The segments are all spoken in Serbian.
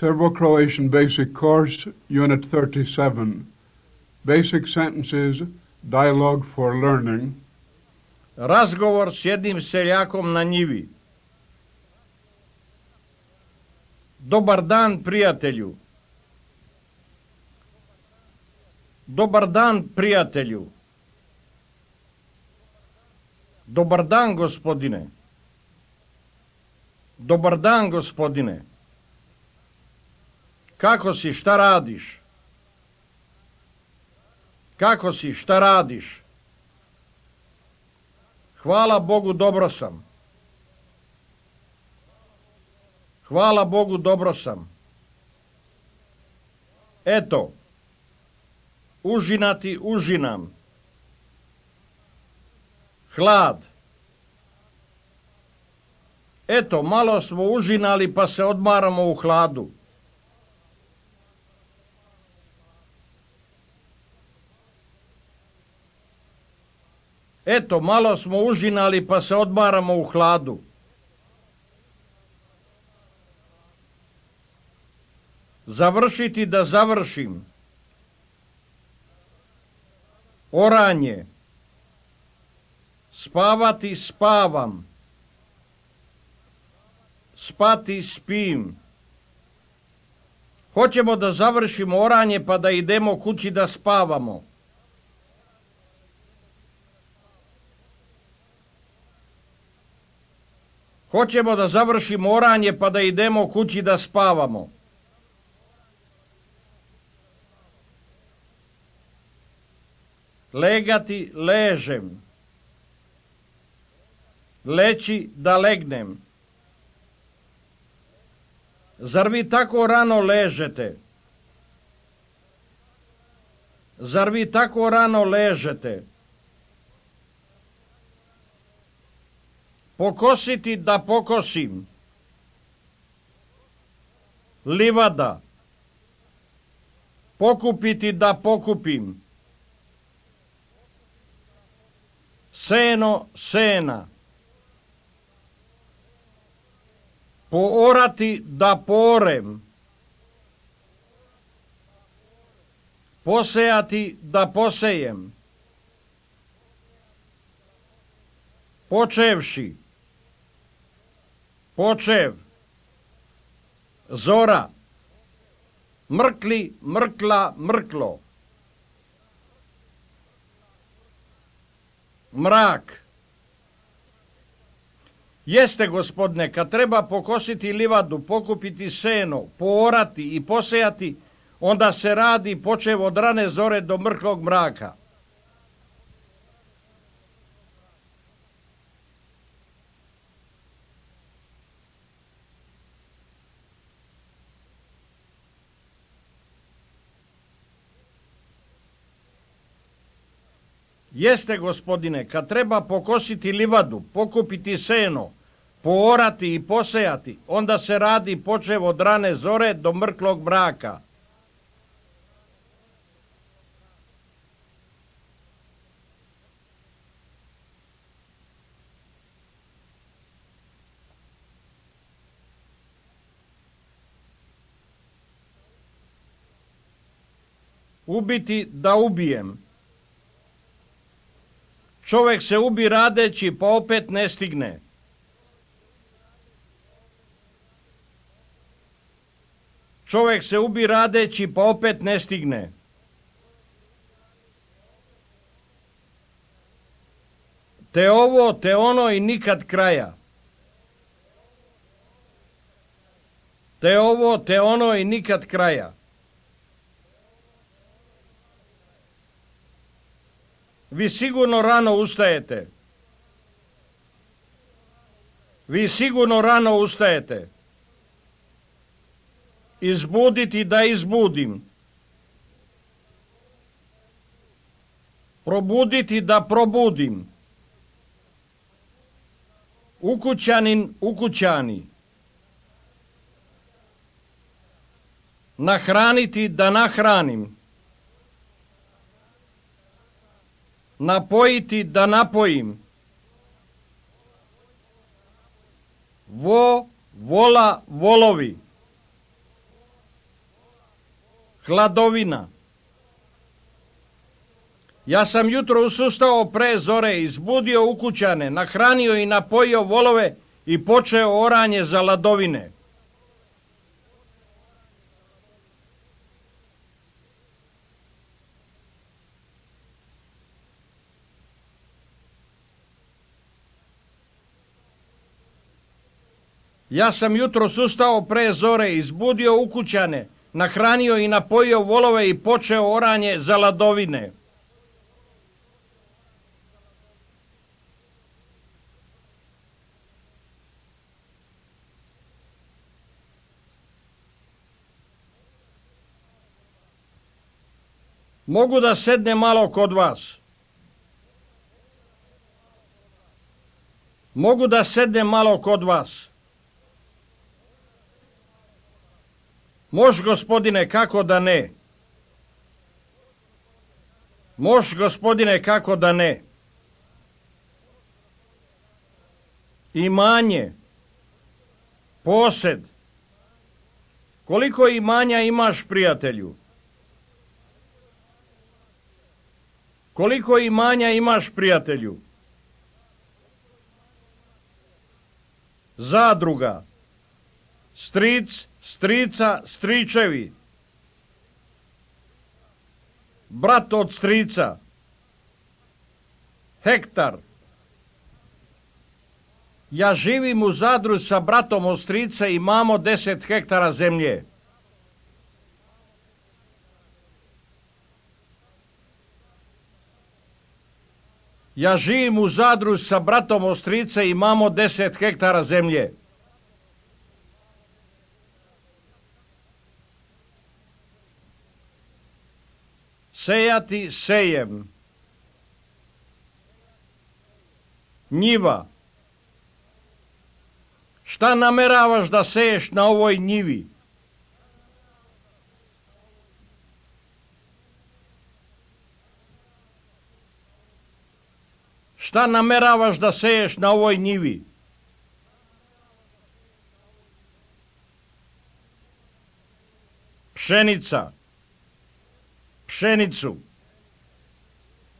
Serbo-Croatian Basic Course, Unit 37. Basic Sentences, Dialogue for Learning. Razgovor s jednim seljakom na njivi. Dobar dan, prijatelju. Dobar dan, prijatelju. Dobar dan, gospodine. Dobar dan, gospodine. Kako si, šta radiš? Kako si, šta radiš? Hvala Bogu, dobro sam. Hvala Bogu, dobro sam. Eto, užinati užinam. Hlad. Eto, malo smo užinali pa se odmaramo u hladu. Eto, malo smo užinali pa se odmaramo u hladu. Završiti da završim. Oranje. Spavati spavam. Spati spim. Hoćemo da završimo oranje pa da idemo kući da spavamo. Hoćemo da završimo oranje pa da idemo kući da spavamo. Legati, ležem. Leći, da legnem. Zar vi tako rano ležete? Zar vi tako rano ležete? Pokositi, da pokosim. Livada. Pokupiti, da pokupim. Seno, sena. Poorati, da porem. Posejati, da posejem. Počevši. Počev. Zora. Mrkli, mrkla, mrklo. Mrak. Jeste, gospodine, kad treba pokositi livadu, pokupiti seno, poorati i posejati, onda se radi počev od rane zore do mrklog mraka. Jeste, gospodine, kad treba pokositi livadu, pokupiti seno, poorati i posejati, onda se radi počev od rane zore do mrklog mraka. Ubiti, da ubijem. Čovjek se ubi radeći, pa opet ne stigne. Čovjek se ubi radeći, pa opet ne stigne. Te ovo, te ono i nikad kraja. Te ovo, te ono i nikad kraja. Vi sigurno rano ustajete. Vi sigurno rano ustajete. Izbuditi, da izbudim. Probuditi, da probudim. Ukućanin, ukućani. Nahraniti, da nahranim. Napojiti, da napojim. Vola, volovi. hladovina. Ja sam jutro usustao pre zore, izbudio ukućane, nahranio i napojio volove i počeo oranje za ladovine. Ja sam jutro ustao pre zore, izbudio ukućane, nahranio i napojio volove i počeo oranje za ladovine. Mogu da sednem malo kod vas. Mogu da sednem malo kod vas. Mož, gospodine, kako da ne? Mož, gospodine, kako da ne? Imanje, posed. Koliko imanja imaš, prijatelju? Koliko imanja imaš, prijatelju? Zadruga, stric, strica, stričevi, brat od strica, hektar. Ja živim u Zadru sa bratom od strica i imamo 10 hektara zemlje. Ja živim u Zadru sa bratom od strica i imamo 10 hektara zemlje. Sejati sejem. Njiva. Šta nameravaš da seješ na ovoj njivi? Šta nameravaš da seješ na ovoj njivi? Pšenica. Pšenicu.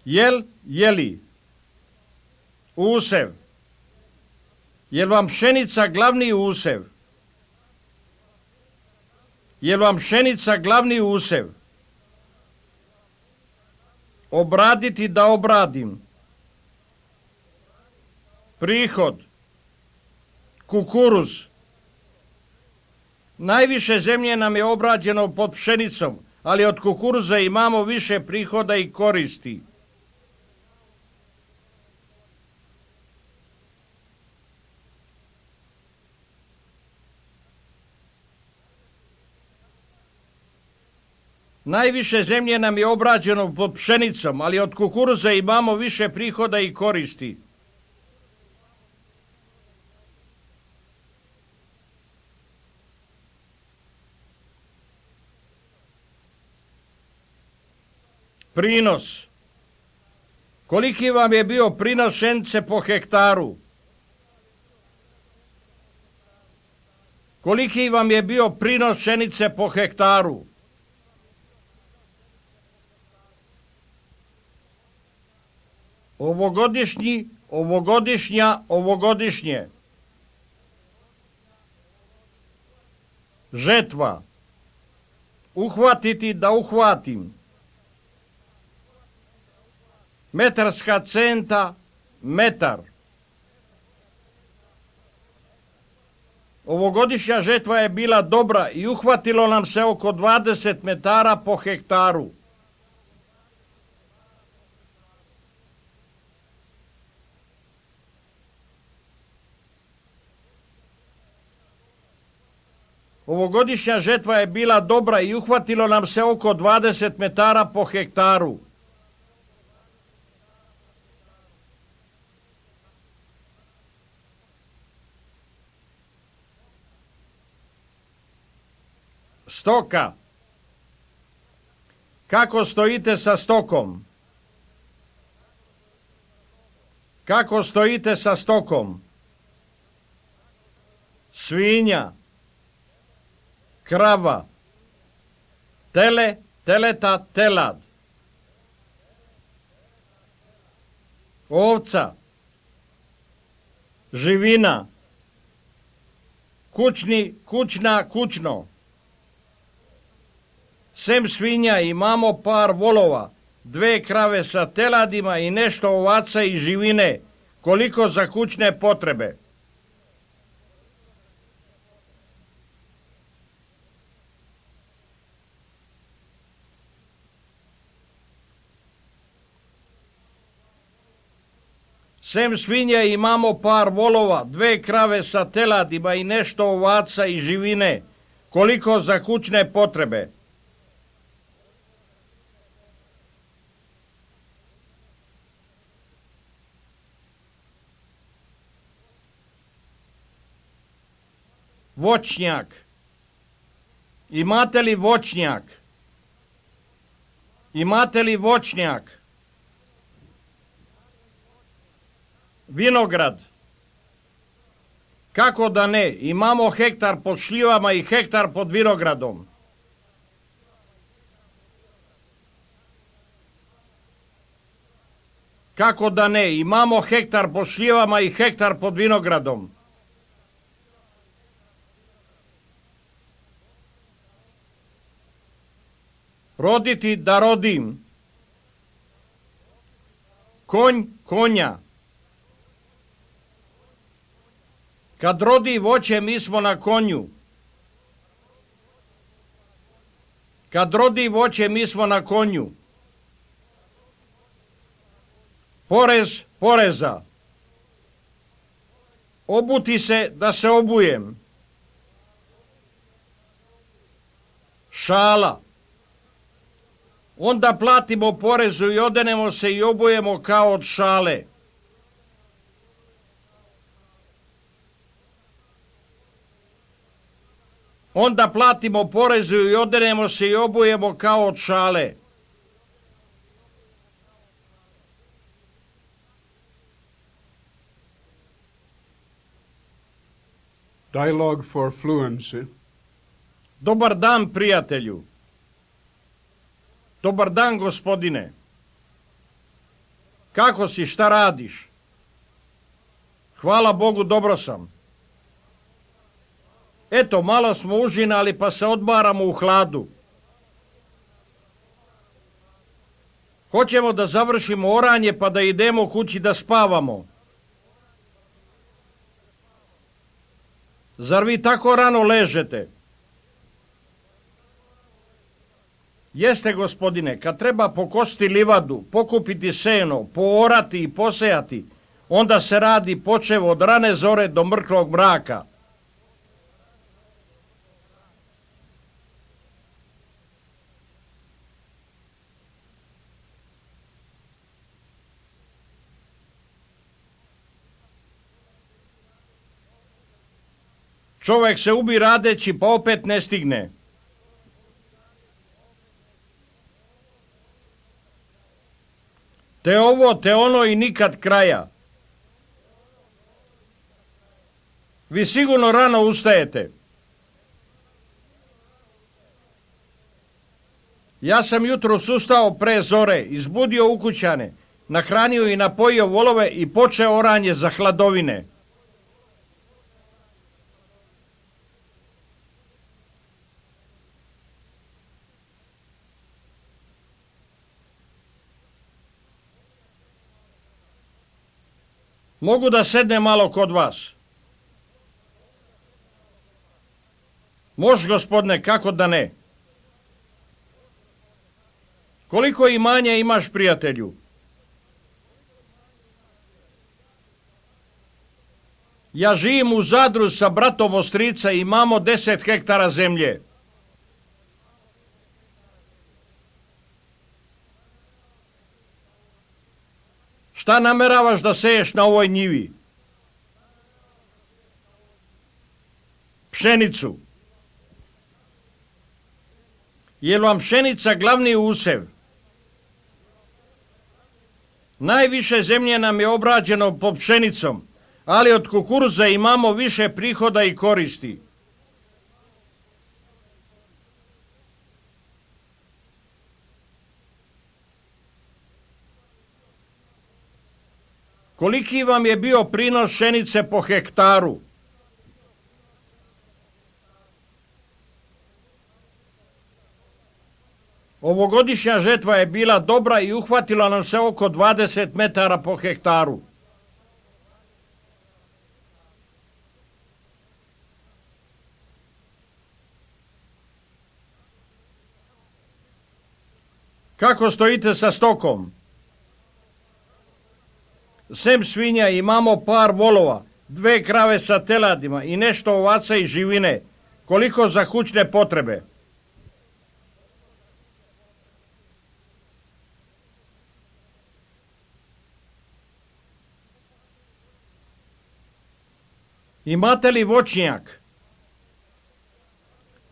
Jel, jeli. Usev. Jel vam pšenica glavni usev? Jel vam pšenica glavni usev? Obraditi da obradim. Prihod. Kukuruz. Najviše zemlje nam je obrađeno pod pšenicom, ali od kukuruza imamo više prihoda i koristi. Najviše zemlje nam je obrađeno pod pšenicom, ali od kukuruza imamo više prihoda i koristi. Prinos. Koliki vam je bio prinos pšenice po hektaru? Koliki vam je bio prinos pšenice po hektaru? Ovogodišnji, ovogodišnja, ovogodišnje. Žetva. Uhvatiti da uhvatim. Metarska centa, metar. Ovogodišnja žetva je bila dobra i uhvatilo nam se oko 20 metara po hektaru. Ovogodišnja žetva je bila dobra i uhvatilo nam se oko 20 metara po hektaru. Stoka. Kako stojite sa stokom? Kako stojite sa stokom? Svinja. Krava. tele, teleta, telad, ovca, živina, kućni, kućna, kućno. Sem svinja imamo par volova, 2 krave sa teladima i nešto ovaca i živine, koliko za kućne potrebe. Sem svinja imamo par volova, 2 krave sa teladima i nešto ovaca i živine, koliko za kućne potrebe. Voćnjak. Imate li voćnjak? Imate li voćnjak? Vinograd. Kako da ne? Imamo hektar pod šljivama i hektar pod vinogradom. Kako da ne? Imamo hektar pod šljivama i hektar pod vinogradom. Roditi da rodim. Konj, konja. Kad rodi voće, mi smo na konju. Kad rodi voće, mi smo na konju. Porez, poreza. Obuti se da se obujem. Šala. Onda platimo porezu i odenemo se i obujemo kao od šale. Onda platimo porezu i odenemo se i obujemo kao od šale. Dialogue for fluency. Dobar dan, prijatelju. Dobar dan, gospodine. Kako si, šta radiš? Hvala Bogu, dobro sam. Eto, malo smo užinali pa se odmaramo u hladu. Hoćemo da završimo oranje pa da idemo kući da spavamo. Zar vi tako rano ležete? Jeste, gospodine, kad treba pokositi livadu, pokupiti seno, poorati i posejati, onda se radi počev od rane zore do mrklog mraka. Čovjek se ubi radeći pa opet ne stigne. Te ovo, te ono i nikad kraja. Vi sigurno rano ustajete. Ja sam jutros ustao pre zore, izbudio ukućane, nahranio i napojio volove i počeo oranje za hladovine. Mogu da sednem malo kod vas? Može, gospodine, kako da ne? Koliko imanja imaš, prijatelju? Ja živim u Zadru sa bratom od strica i imamo 10 hektara zemlje. Šta nameravaš da seješ na ovoj njivi? Pšenicu. Je li vam pšenica glavni usev? Najviše zemlje nam je obrađeno pod pšenicom, ali od kukuruza imamo više prihoda i koristi. Koliki vam je bio prinos pšenice po hektaru? Ovogodišnja žetva je bila dobra i uhvatila nam se oko 20 metara po hektaru. Kako stojite sa stokom? Sem svinja imamo par volova, 2 krave sa teladima i nešto ovaca i živine. Koliko za kućne potrebe? Imate li voćnjak?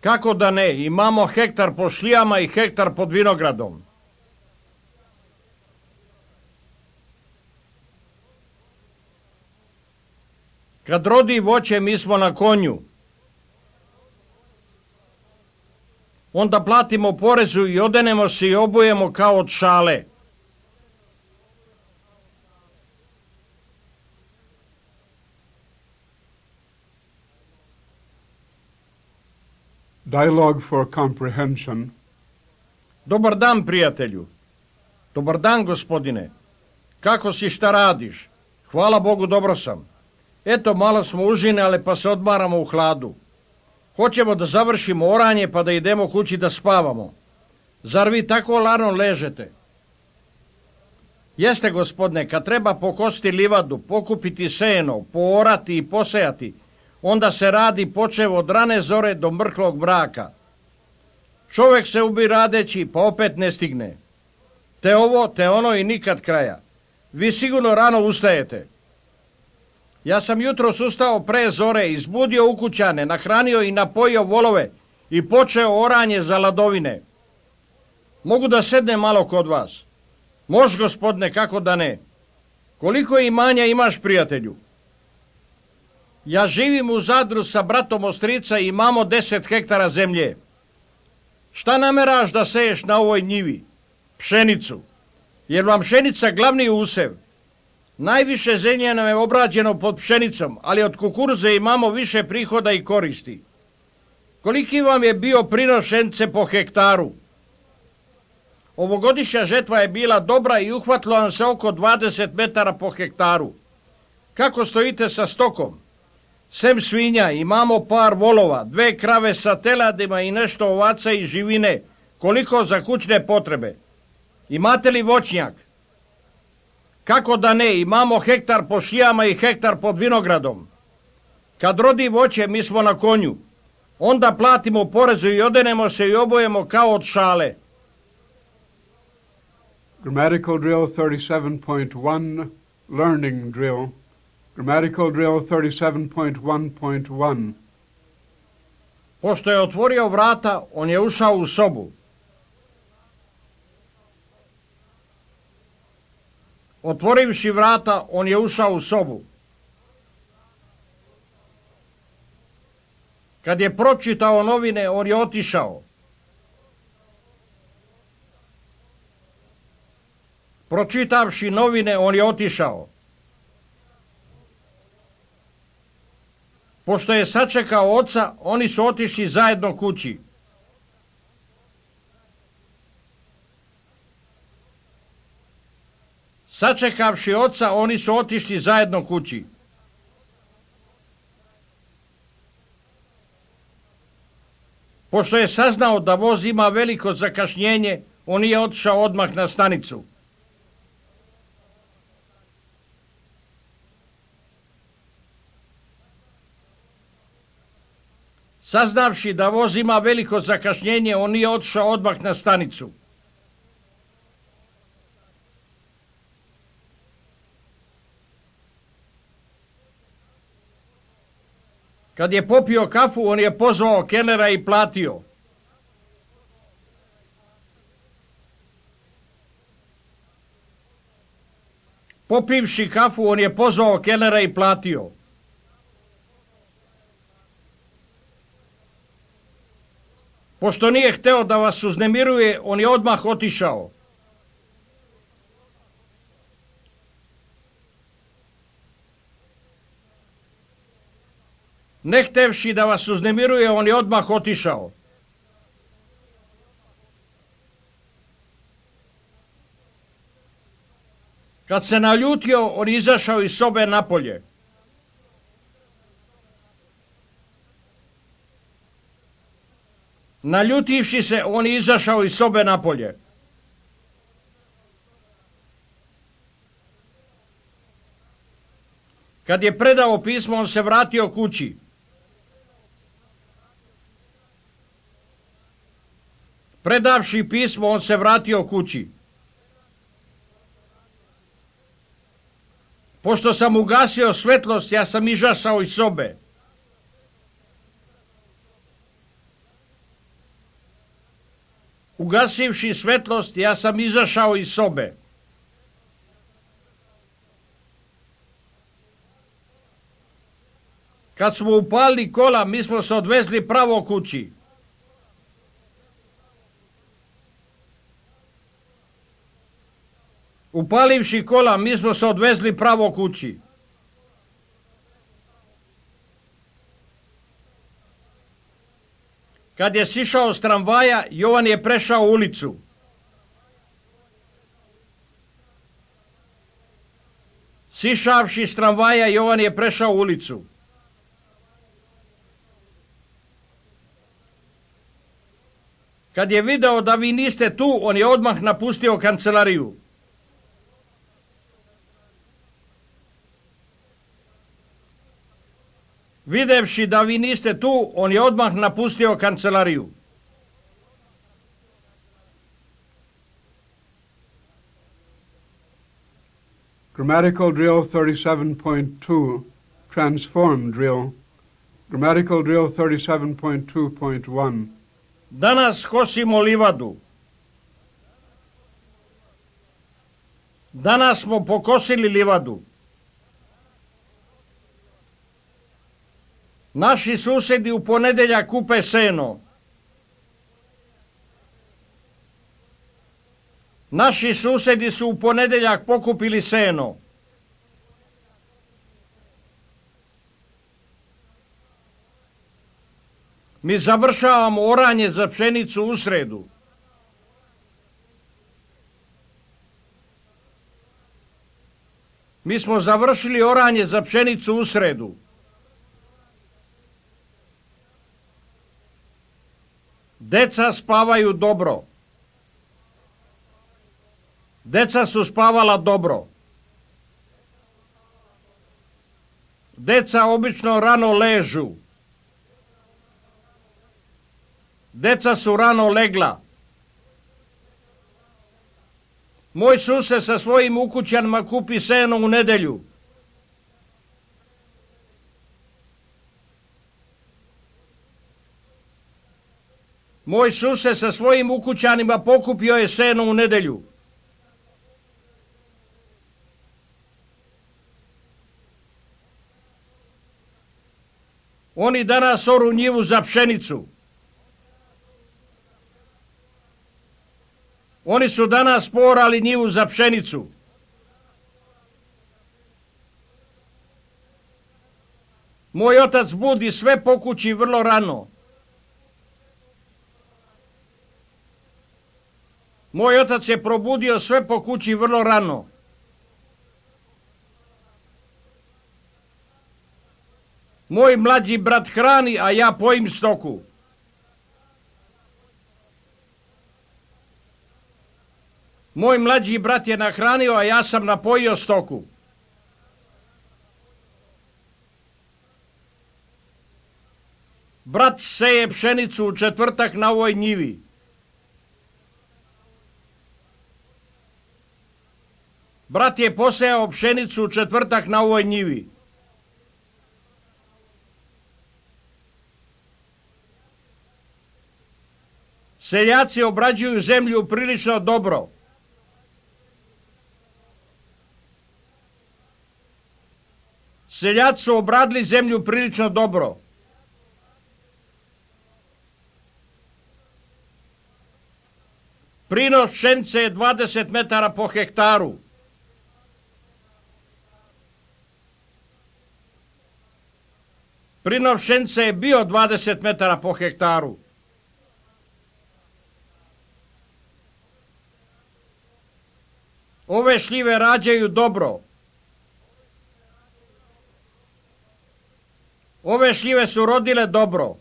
Kako da ne, imamo hektar po šlijama i hektar pod vinogradom. Kad rodi voće, mi smo na konju. Onda platimo porezu i odenemo se i obujemo kao od šale. Dialogue for comprehension. Dobar dan, prijatelju. Dobar dan, gospodine. Kako si, šta radiš? Hvala Bogu, dobro sam. Eto, malo smo užinali pa se odmaramo u hladu. Hoćemo da završimo oranje pa da idemo kući da spavamo. Zar vi tako lano ležete? Jeste, gospodine, kad treba pokositi livadu, pokupiti seno, poorati i posejati, onda se radi počev od rane zore do mrklog mraka. Čovjek se ubi radeći, pa opet ne stigne. Te ovo, te ono i nikad kraja. Vi sigurno rano ustajete. Ja sam jutros ustao pre zore, izbudio ukućane, nahranio i napojio volove i počeo oranje za ladovine. Mogu da sednem malo kod vas? Mož, gospodine, kako da ne. Koliko imanja imaš, prijatelju? Ja živim u Zadru sa bratom od strica i imamo 10 hektara zemlje. Šta nameraš da seješ na ovoj njivi? Pšenicu. Jer vam pšenica glavni usev. Najviše zemlje nam je obrađeno pod pšenicom, ali od kukuruze imamo više prihoda i koristi. Koliki vam je bio prinos pšenice po hektaru? Ovogodišnja žetva je bila dobra i uhvatilo nam se oko 20 metara po hektaru. Kako stojite sa stokom? Sem svinja imamo par volova, 2 krave sa teladima i nešto ovaca i živine. Koliko za kućne potrebe? Imate li voćnjak? Kako da ne, imamo hektar po šijama i hektar pod vinogradom. Kad rodi voće, mi smo na konju. Onda platimo porezu i odenemo se i obojemo kao od šale. Grammatical drill 37.1, learning drill. Grammatical drill 37.1.1. Pošto je otvorio vrata, on je ušao u sobu. Otvorivši vrata, on je ušao u sobu. Kad je pročitao novine, on je otišao. Pročitavši novine, on je otišao. Pošto je sačekao oca, oni su otišli zajedno kući. Sačekavši oca, oni su otišli zajedno kući. Pošto je saznao da voz ima veliko zakašnjenje, on je otišao odmah na stanicu. Saznavši da voz ima veliko zakašnjenje, on je otišao odmah na stanicu. Kad je popio kafu, on je pozvao kelnera i platio. Popivši kafu, on je pozvao kelnera i platio. Pošto nije hteo da vas uznemiruje, on je odmah otišao. Ne htevši da vas uznemiruje, on je odmah otišao. Kad se naljutio, on izašao iz sobe napolje. Naljutivši se, on je izašao iz sobe napolje. Kad je predao pismo, on se vratio kući. Predavši pismo, on se vratio kući. Pošto sam ugasio svetlost, ja sam izašao iz sobe. Ugasivši svetlost, ja sam izašao iz sobe. Kad smo upalili kola, mi smo se odvezli pravo kući. Upalivši kola, mi smo se odvezli pravo kući. Kad je sišao s tramvaja, Jovan je prešao ulicu. Sišavši s tramvaja, Jovan je prešao ulicu. Kad je video da vi niste tu, on je odmah napustio kancelariju. Videvši da vi niste tu, on je odmah napustio kancelariju. Grammatical drill 37.2, transform drill. Grammatical drill 37.2.1. Danas kosimo livadu. Danas smo pokosili livadu. Naši susedi u ponedeljak kupe seno. Naši susedi su u ponedeljak pokupili seno. Mi završavamo oranje za pšenicu u sredu. Mi smo završili oranje za pšenicu u sredu. Deca spavaju dobro. Deca su spavala dobro. Deca obično rano ležu. Deca su rano legla. Moj sused sa svojim ukućanima kupi seno u nedelju. Moj sused sa svojim ukućanima pokupio je seno u nedelju. Oni danas oru njivu za pšenicu. Oni su danas porali njivu za pšenicu. Moj otac budi sve po kući vrlo rano. Moj otac je probudio sve po kući vrlo rano. Moj mlađi brat hrani, a ja pojim stoku. Moj mlađi brat je nahranio, a ja sam napojio stoku. Brat seje pšenicu u četvrtak na ovoj njivi. Brat je posejao pšenicu u četvrtak na ovoj njivi. Seljaci obrađuju zemlju prilično dobro. Seljaci su obradili zemlju prilično dobro. Prinos pšenice je 20 metara po hektaru. Prinos pšenice je bio 20 metara po hektaru. Ove šljive rađaju dobro. Ove šljive su rodile dobro.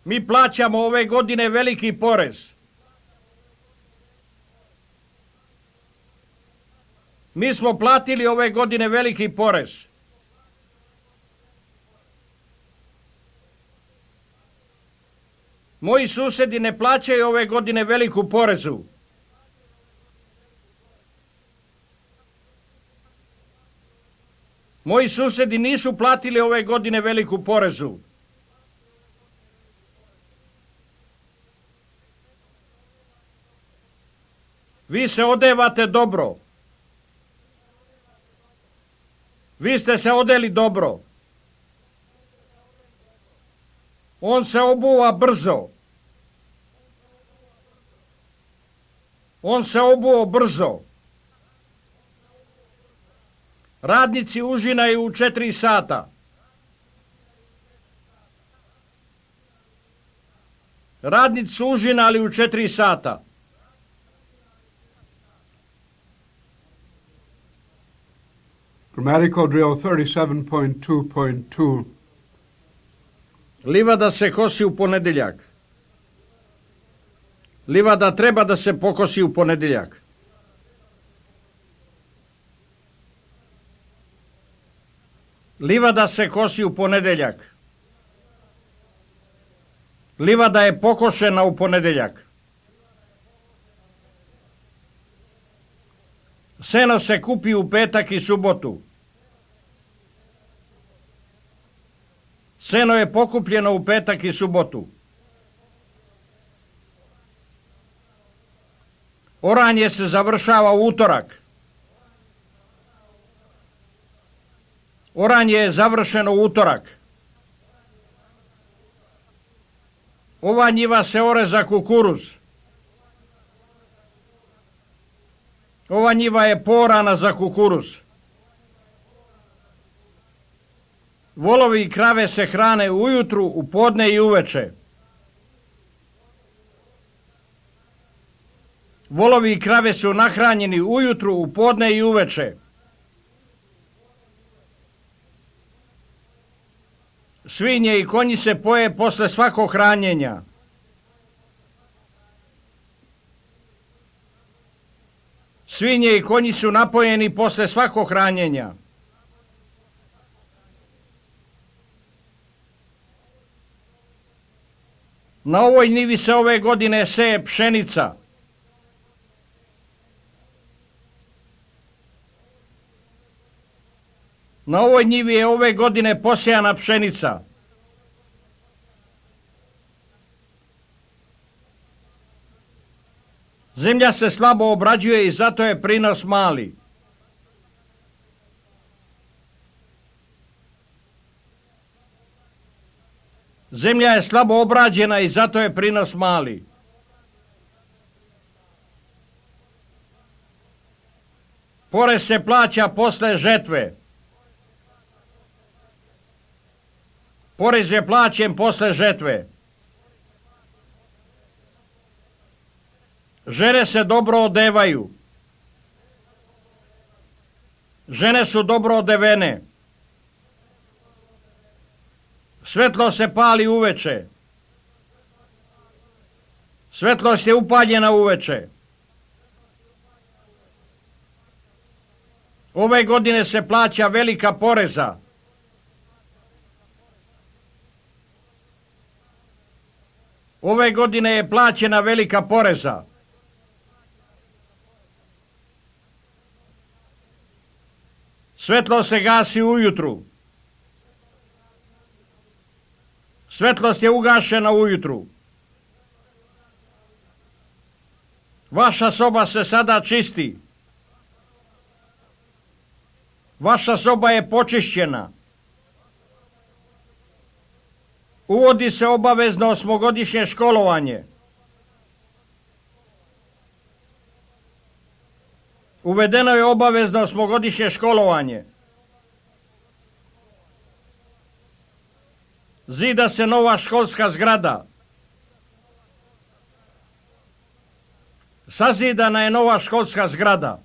Mi plaćamo ove godine veliki porez. Mi smo platili ove godine veliki porez. Moji susedi ne plaćaju ove godine veliku porezu. Moji susedi nisu platili ove godine veliku porezu. Vi se odevate dobro. Vi ste se odeli dobro. On se obuva brzo. On se obuo brzo. Radnici užinaju u 4 sata. Radnici su užinali u 4 sata. Grammatical drill 37.2.2. Livada se kosi u ponedjeljak. Livada treba da se pokosi u ponedjeljak. Livada se kosi u ponedjeljak. Livada je pokošena u ponedjeljak. Seno se kupi u petak i subotu. Seno je pokupljeno u petak i subotu. Oranje se završava u utorak. Oranje je završeno u utorak. Ova njiva se ore za kukuruz. Ova njiva je porana za kukuruz. Volovi i krave se hrane ujutru, u podne i uveče. Volovi i krave su nahranjeni ujutru, u podne i uveče. Svinje i konji se poje posle svakog hranjenja. Svinje i konji su napojeni posle svakog hranjenja. Na ovoj njivi se ove godine seje pšenica. Na ovoj njivi je ove godine posejana pšenica. Zemlja se slabo obrađuje i zato je prinos mali. Zemlja je slabo obrađena i zato je prinos mali. Porez se plaća posle žetve. Porez je plaćen posle žetve. Žene se dobro odevaju. Žene su dobro odevene. Svetlo se pali uveče. Svetlost je upaljena uveče. Ove godine se plaća velika poreza. Ove godine je plaćena velika poreza. Svetlo se gasi ujutru. Svetlost je ugašena ujutru. Vaša soba se sada čisti. Vaša soba je počišćena. Uvodi se obavezno 8-godišnje školovanje. Uvedeno je obavezno 8-godišnje školovanje. Zida se nova školska zgrada. Sazidana je nova školska zgrada.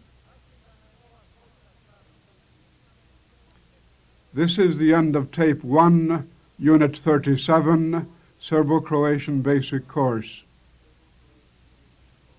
This is the end of Tape 1, Unit 37, Serbo-Croatian Basic Course.